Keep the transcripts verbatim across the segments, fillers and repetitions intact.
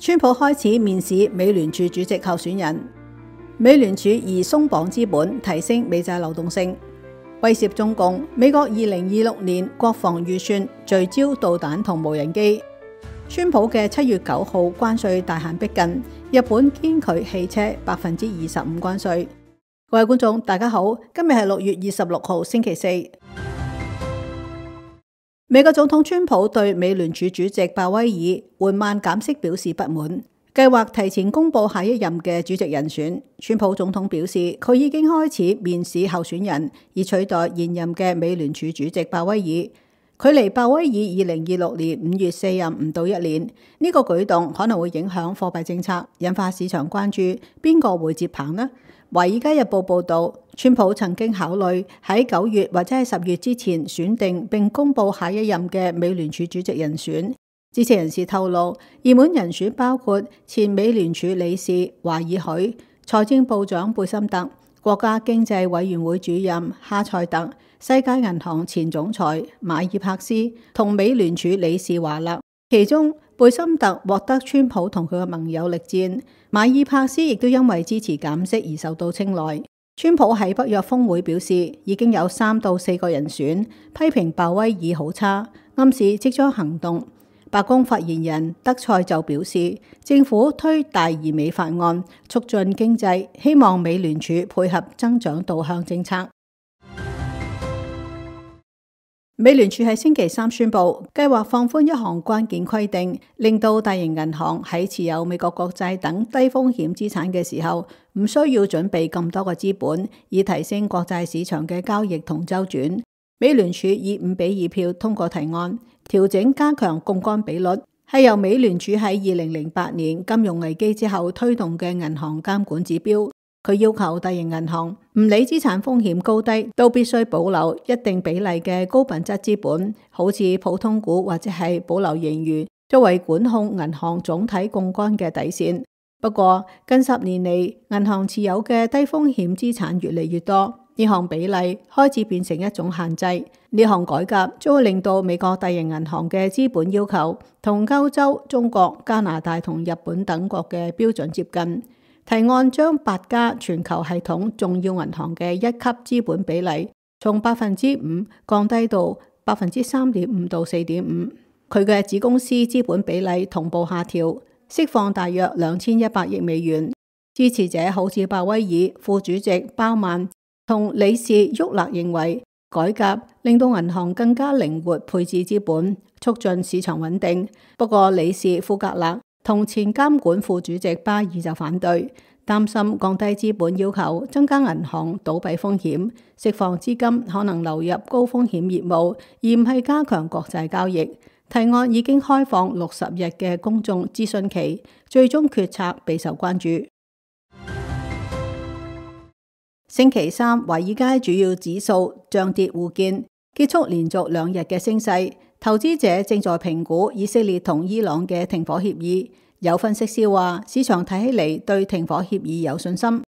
川普開始面試美聯儲主席候選人，美聯儲以鬆綁資本提升美債流動性，威脅中共。美國二零二六年國防預算聚焦導彈同無人機。川普嘅七月九號關稅大限逼近，日本堅拒汽車百分之二十五關稅。各位觀眾大家好，今日係六月二十六號星期四。美國總統川普對美聯儲主席鮑威爾緩慢減息表示不滿，計劃提前公布下一任嘅主席人選。川普總統表示，佢已經開始面試候選人，以取代現任嘅美聯儲主席鮑威爾。距離鮑威爾二零二六年五月卸任唔到一年，呢個舉動可能會影響貨幣政策，引發市場關注邊個會接棒呢？《華爾街日報》報導，川普曾經考慮喺九月或者係十月之前選定並公布下一任嘅美聯儲主席人選。知情人士透露，熱門人選包括前美聯儲理事華爾許、財政部長貝森特、國家經濟委員會主任哈塞特、世界銀行前總裁馬爾帕斯同美聯儲理事華勒。其中貝森特獲得川普同佢嘅盟友力薦，馬爾帕斯亦都因為支持減息而受到青睞。川普喺北約峰會表示，已經有三到四個人選，批評鮑威爾好差，暗示即將行動。白宮發言人德塞就表示，政府推大而美法案，促進經濟，希望美聯儲配合增長導向政策。美聯儲喺星期三宣布，計劃放寬一項關鍵規定，令到大型銀行喺持有美國國債等低風險資產嘅時候，唔需要準備咁多個資本，以提升國債市場嘅交易同周轉。美聯儲以五比二票通過提案，調整加強槓桿比率，係由美聯儲喺二零零八年金融危機之後推動嘅銀行監管指標。佢要求大型銀行唔理資產風險高低，都必須保留一定比例嘅高品質資本，好似普通股或者係保留盈餘，作為管控銀行總體槓桿嘅底線。不過近十年嚟，銀行持有嘅低風險資產越嚟越多，呢項比例開始變成一種限制。呢項改革將會令到美國大型銀行嘅資本要求同歐洲、中國、加拿大同日本等國嘅標準接近。提案將八家全球系統重要銀行嘅一級資本比例從百分之五降低到百分之三點五到四點五，佢嘅子公司資本比例同步下調，釋放大約兩千一百億美元。支持者好似鮑威爾、副主席鮑曼同理事沃勒認為，改革令到銀行更加靈活配置資本，促進市場穩定。不過理事富格勒同前監管副主席巴爾就反對，擔心降低資本要求增加銀行倒閉風險，釋放資金可能流入高風險業務，而唔係加強國債交易。提案已經開放六十日嘅公眾諮詢期，最終決策備受關注。星期三，華爾街主要指數漲跌互見，結束連續兩日嘅升勢。投資者正在評估以色列同伊朗嘅停火協議，有分析師話，市場睇起嚟對停火協議有信心。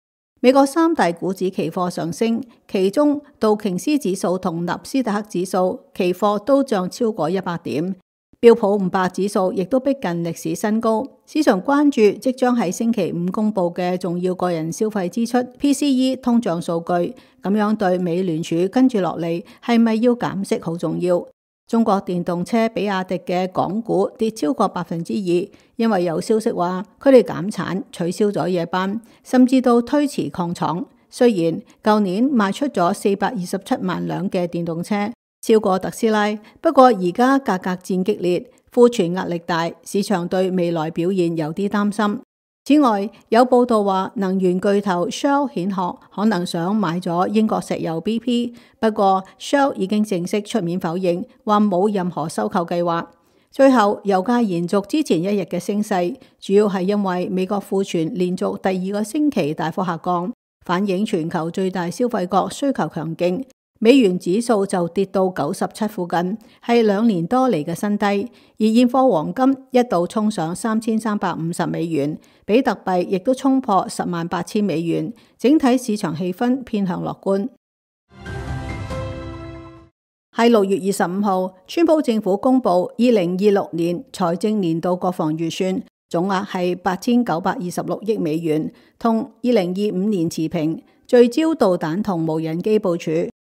美國三大股指期貨上升，其中道瓊斯指數同納斯達克指數期貨都漲超過一百點，標普五百指數亦都逼近歷史新高。市場關注即將喺星期五公布嘅重要個人消費支出 P C E 通脹數據，咁樣對美聯儲跟住落嚟係咪要減息好重要。中國電動車比亞迪嘅港股跌超過百分之二，因為有消息話佢哋減產，取消咗夜班，甚至到推遲擴廠。雖然舊年賣出咗四百二十七萬輛嘅電動車，超過特斯拉，不過而家價格戰激烈，庫存壓力大，市場對未來表現有啲擔心。此外，有報道話能源巨頭 Shell 蜆殼可能想買咗英國石油 B P， 不過 Shell 已經正式出面否認，話冇任何收購計劃。最後，油價延續之前一日嘅升勢，主要係因為美國庫存連續第二個星期大幅下降，反映全球最大消費國需求強勁。美元指數就跌到九十七附近，係兩年多嚟嘅新低。而現貨黃金一度衝上三千三百五十美元，比特幣亦都衝破十萬八千美元。整體市場氣氛偏向樂觀。喺六月二十五號，川普政府公布二零二六年財政年度國防預算，總額係八千九百二十六億美元，同二零二五年持平，聚焦導彈同無人機部署，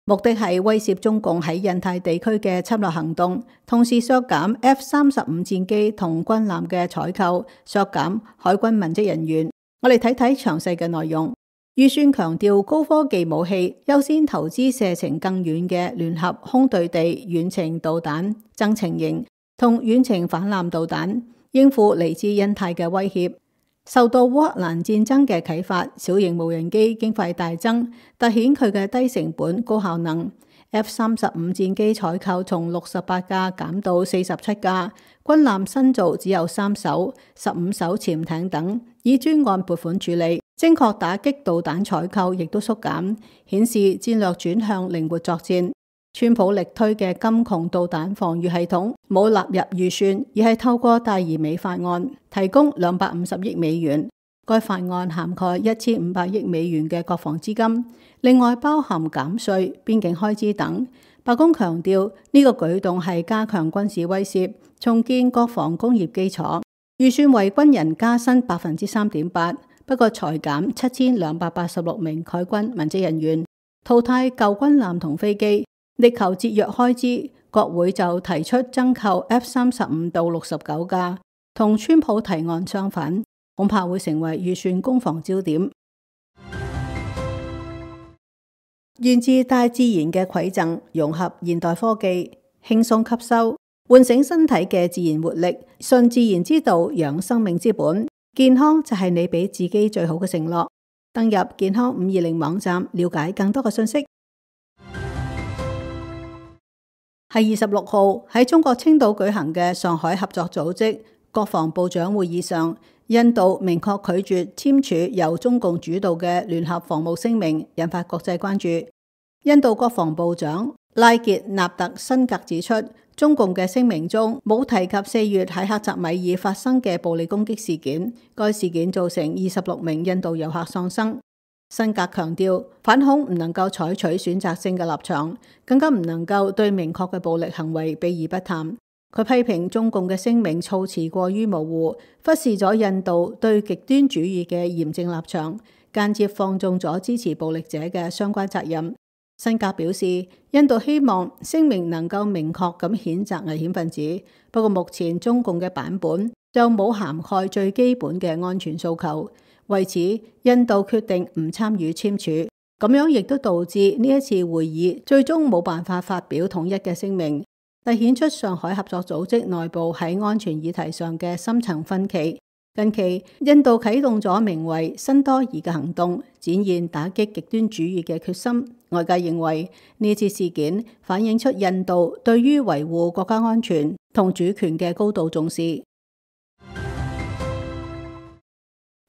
目的係威懾中共喺印太地區嘅侵略行動，同時削減 F 三十五戰機同軍艦嘅採購，削減海軍文職人員。我哋睇睇詳細嘅內容。預算強調高科技武器，優先投資射程更遠嘅聯合空對地遠程導彈、增程型同遠程反艦導彈，應付嚟自印太嘅威脅。受到烏克蘭戰爭嘅啟發，小型無人機經費大增，凸顯佢嘅低成本高效能。F 三十五戰機採購從六十八架減到四十七架，軍艦新造只有三艘，十五艘潛艇等以專案撥款處理。精確打擊導彈採購亦都縮減，顯示戰略轉向靈活作戰。川普力推嘅金窮導彈防禦系統冇納入預算，而係透過大而美法案提供兩百五十億美元。該法案涵蓋一千五百億美元嘅國防資金，另外包含減稅、邊境開支等。白宮強調呢個舉動係加強軍事威懾，重建國防工業基礎。預算為軍人加薪百分之三點八。不過裁減七千兩百八十六名海軍文職人員，淘汰舊軍艦同飛機，力求節約開支。國會就提出增購 F 三十五到六十九架，同川普提案相反，恐怕會成為預算攻防焦點。源自大自然嘅饋贈，融合現代科技，輕鬆吸收，喚醒身體嘅自然活力，順自然之道，養生命之本。健康就係你俾自己最好嘅承諾。登入健康五二零網站，了解更多嘅信息。係二十六號喺中國青島舉行嘅上海合作組織國防部長會議上，印度明確拒絕簽署由中共主導嘅聯合防務聲明，引發國際關注。印度國防部長拉傑納特辛格指出，中共嘅聲明中冇提及四月喺克什米爾發生嘅暴力攻擊事件，該事件造成二十六名印度遊客喪生。辛格強調，反恐唔能夠採取選擇性嘅立場，更加唔能夠對明確嘅暴力行為避而不談。佢批評中共嘅聲明措辭過於模糊，忽視咗印度對極端主義嘅嚴正立場，間接放縱咗支持暴力者嘅相關責任。辛格表示，印度希望聲明能夠明確咁譴責危險分子，不過目前中共嘅版本就冇涵蓋最基本嘅安全訴求，為此印度決定唔參與簽署，咁樣亦都導致呢一次會議最終冇辦法發表統一嘅聲明，凸顯出上海合作組織內部喺安全議題上嘅深層分歧。近期，印度啟動咗名為新多疑嘅行動，展現打擊極端主義嘅決心。外界認為呢次事件反映出印度對於維護國家安全同主權嘅高度重視。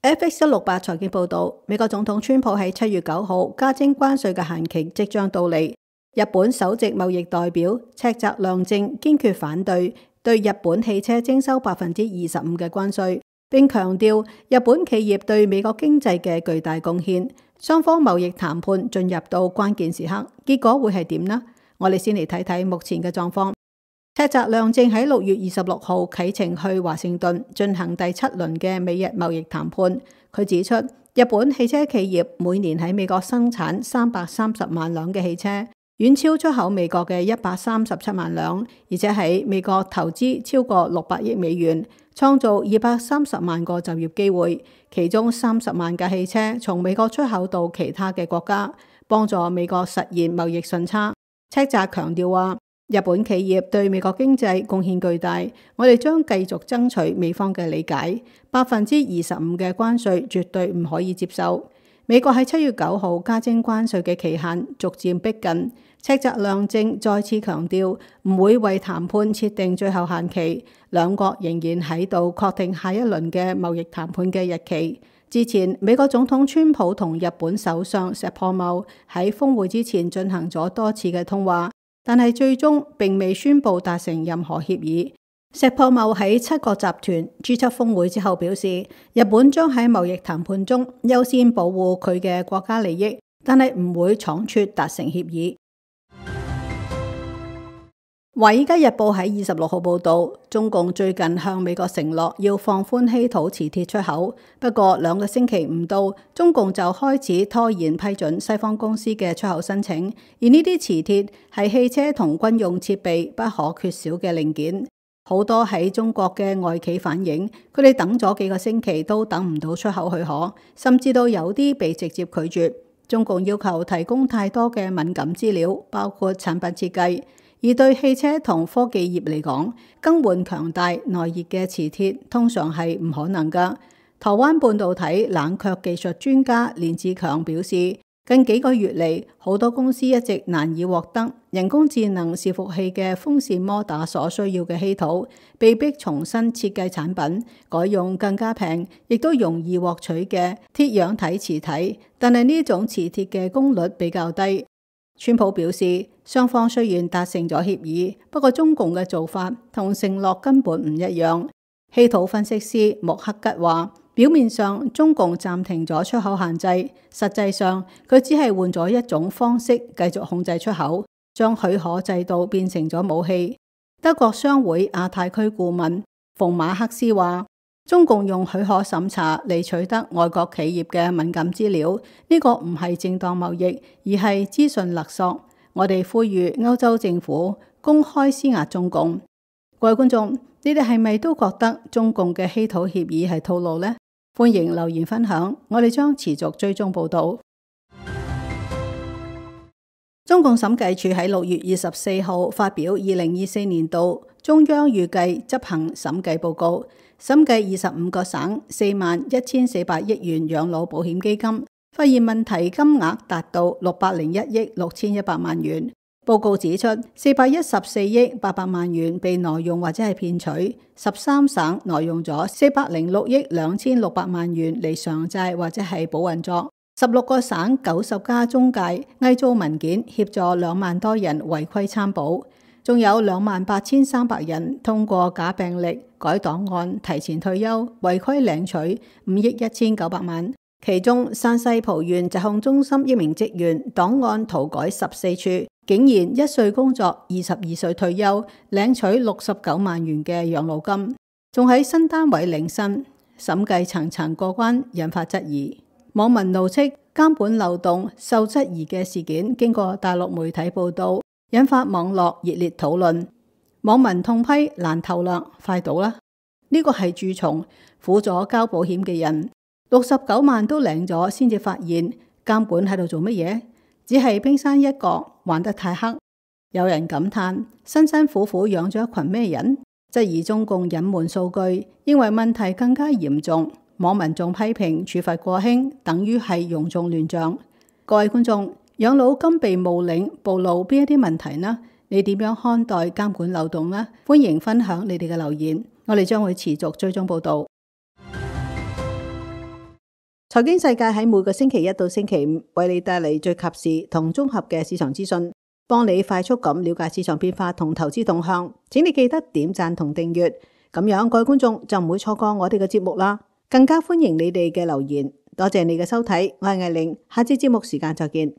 F X 一六八財經報道，美國總統川普喺七月九號加徵關稅嘅限期即將到嚟。日本首席貿易代表赤澤亮正堅決反對對日本汽車徵收百分之二十五嘅關稅，並強調日本企業對美國經濟嘅巨大貢獻。雙方貿易談判進入到關鍵時刻，結果會係點呢？我哋先嚟睇睇目前嘅狀況。赤澤亮正喺六月二十六號啟程去華盛頓進行第七輪嘅美日貿易談判。佢指出，日本汽車企業每年喺美國生產三百三十萬輛嘅汽車，遠超出口美國嘅一百三十七萬輛，而且喺美國投資超過六百億美元，創造二百三十萬個就業機會，其中三十萬架汽車從美國出口到其他嘅國家，幫助美國實現貿易順差。赤澤強調話，日本企業對美國經濟貢獻巨大，我哋將繼續爭取美方嘅理解，百分之二十五嘅關稅絕對唔可以接受。美國喺七月九號加徵關稅嘅期限逐漸逼近，赤澤亮正再次強調唔會為談判設定最後限期，兩國仍然喺度確定下一輪嘅貿易談判嘅日期。之前，美國總統川普同日本首相石破茂喺峰會之前進行咗多次嘅通話，但係最終並未宣布達成任何協議。石破茂喺七國集團 G 七峰會之後表示，日本將喺貿易談判中優先保護佢嘅國家利益，但係唔會倉促達成協議。《華爾街日報》喺二十六號報道，中共最近向美國承諾要放寬稀土磁鐵出口，不過兩個星期唔到，中共就開始拖延批准西方公司嘅出口申請。而呢啲磁鐵係汽車同軍用設備不可缺少嘅零件，好多喺中國嘅外企反映，佢哋等咗幾個星期都等唔到出口許可，甚至到有啲被直接拒絕。中共要求提供太多嘅敏感資料，包括產品設計。而對汽車同科技業嚟講，更換強大耐熱嘅磁鐵通常係唔可能㗎。台灣半導體冷卻技術專家連志強表示，近幾個月嚟，好多公司一直難以獲得人工智能伺服器嘅風扇摩打所需要嘅稀土，被迫重新設計產品，改用更加平，亦都容易獲取嘅鐵氧體磁體，但係呢種磁鐵嘅功率比較低。川普表示，雙方雖然達成咗協議，不過中共嘅做法同承諾根本唔一樣。稀土分析師穆克吉話，表面上中共暫停咗出口限制，實際上佢只係換咗一種方式繼續控制出口，將許可制度變成咗武器。德國商會亞太區顧問馮馬克斯話，中共用許可審查嚟取得外國企業嘅敏感資料，呢個唔係正當貿易，而係資訊勒索。我哋呼籲歐洲政府公開施壓中共。各位觀眾，你哋係咪都覺得中共嘅稀土協議係套路呢？歡迎留言分享，我哋將持續追蹤報道。中共審計署喺六月二十四號發表二零二四年度中央預計執行審計報告，審計二十五個省四萬一千四百億元養老保險基金，發現問題金額達到六百零一億六千一百萬元。報告指出，四百一十四億八百萬元被挪用或者係騙取，十三省挪用咗四百零六億兩千六百萬元嚟償債或者係保運作。十六個省九十家中介偽造文件協助兩萬多人違規參保，仲有兩萬八千三百人通過假病歷、改檔案、提前退休、違規領取五億一千九百萬。其中山西蒲縣疾控中心一名職員檔案塗改十四處，竟然一歲工作，二十二歲退休，領取六十九萬元嘅養老金，仲喺新單位領薪。審計層層過關，引發質疑。網民怒斥監管漏洞受質疑嘅事件，經過大陸媒體報道，引發網絡熱烈討論。網民痛批爛透啦，快倒啦！呢個係蛀蟲，苦咗交保險嘅人，六十九萬都領咗，先至發現監管喺度做乜嘢？只係冰山一角，玩得太黑。有人感嘆辛辛苦苦養咗一群咩人？質疑中共隱瞞數據，認為問題更加嚴重。網民仲批評處罰過輕，等於係庸眾亂象。各位觀眾，養老金被冒領暴露邊一啲問題呢？你點樣看待監管漏洞呢？歡迎分享你哋嘅留言，我哋將會持續追蹤報道。財經世界喺每個星期一到星期五為你帶嚟最及時同綜合嘅市場資訊，幫你快速咁了解市場變化同投資動向。請你記得點讚同訂閱，咁樣各位觀眾就唔會錯過我哋嘅節目啦。更加歡迎你哋嘅留言，多謝你嘅收睇，我係艾玲，下次節目時間再見。